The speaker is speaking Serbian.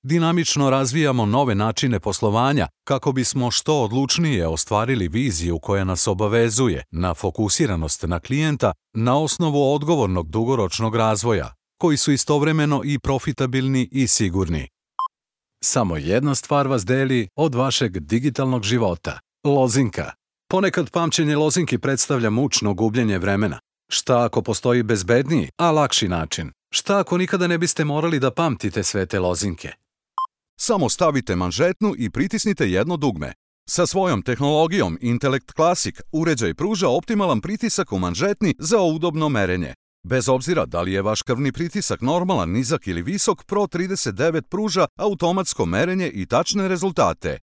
Dinamično razvijamo nove načine poslovanja kako bismo što odlučnije ostvarili viziju koja nas obavezuje na fokusiranost na klijenta na osnovu odgovornog dugoročnog razvoja, koji su istovremeno i profitabilni i sigurni. Samo jedna stvar vas deli od vašeg digitalnog života. Lozinka. Ponekad pamćenje lozinki predstavlja mučno gubljenje vremena. Šta ako postoji bezbedniji, a lakši način? Šta ako nikada ne biste morali da pamtite sve te lozinke? Samo stavite manžetnu i pritisnite jedno dugme. Sa svojom tehnologijom Intellect Classic uređaj pruža optimalan pritisak u manžetni za udobno merenje. Bez obzira da li je vaš krvni pritisak normalan, nizak ili visok, Pro 39 pruža automatsko merenje i tačne rezultate.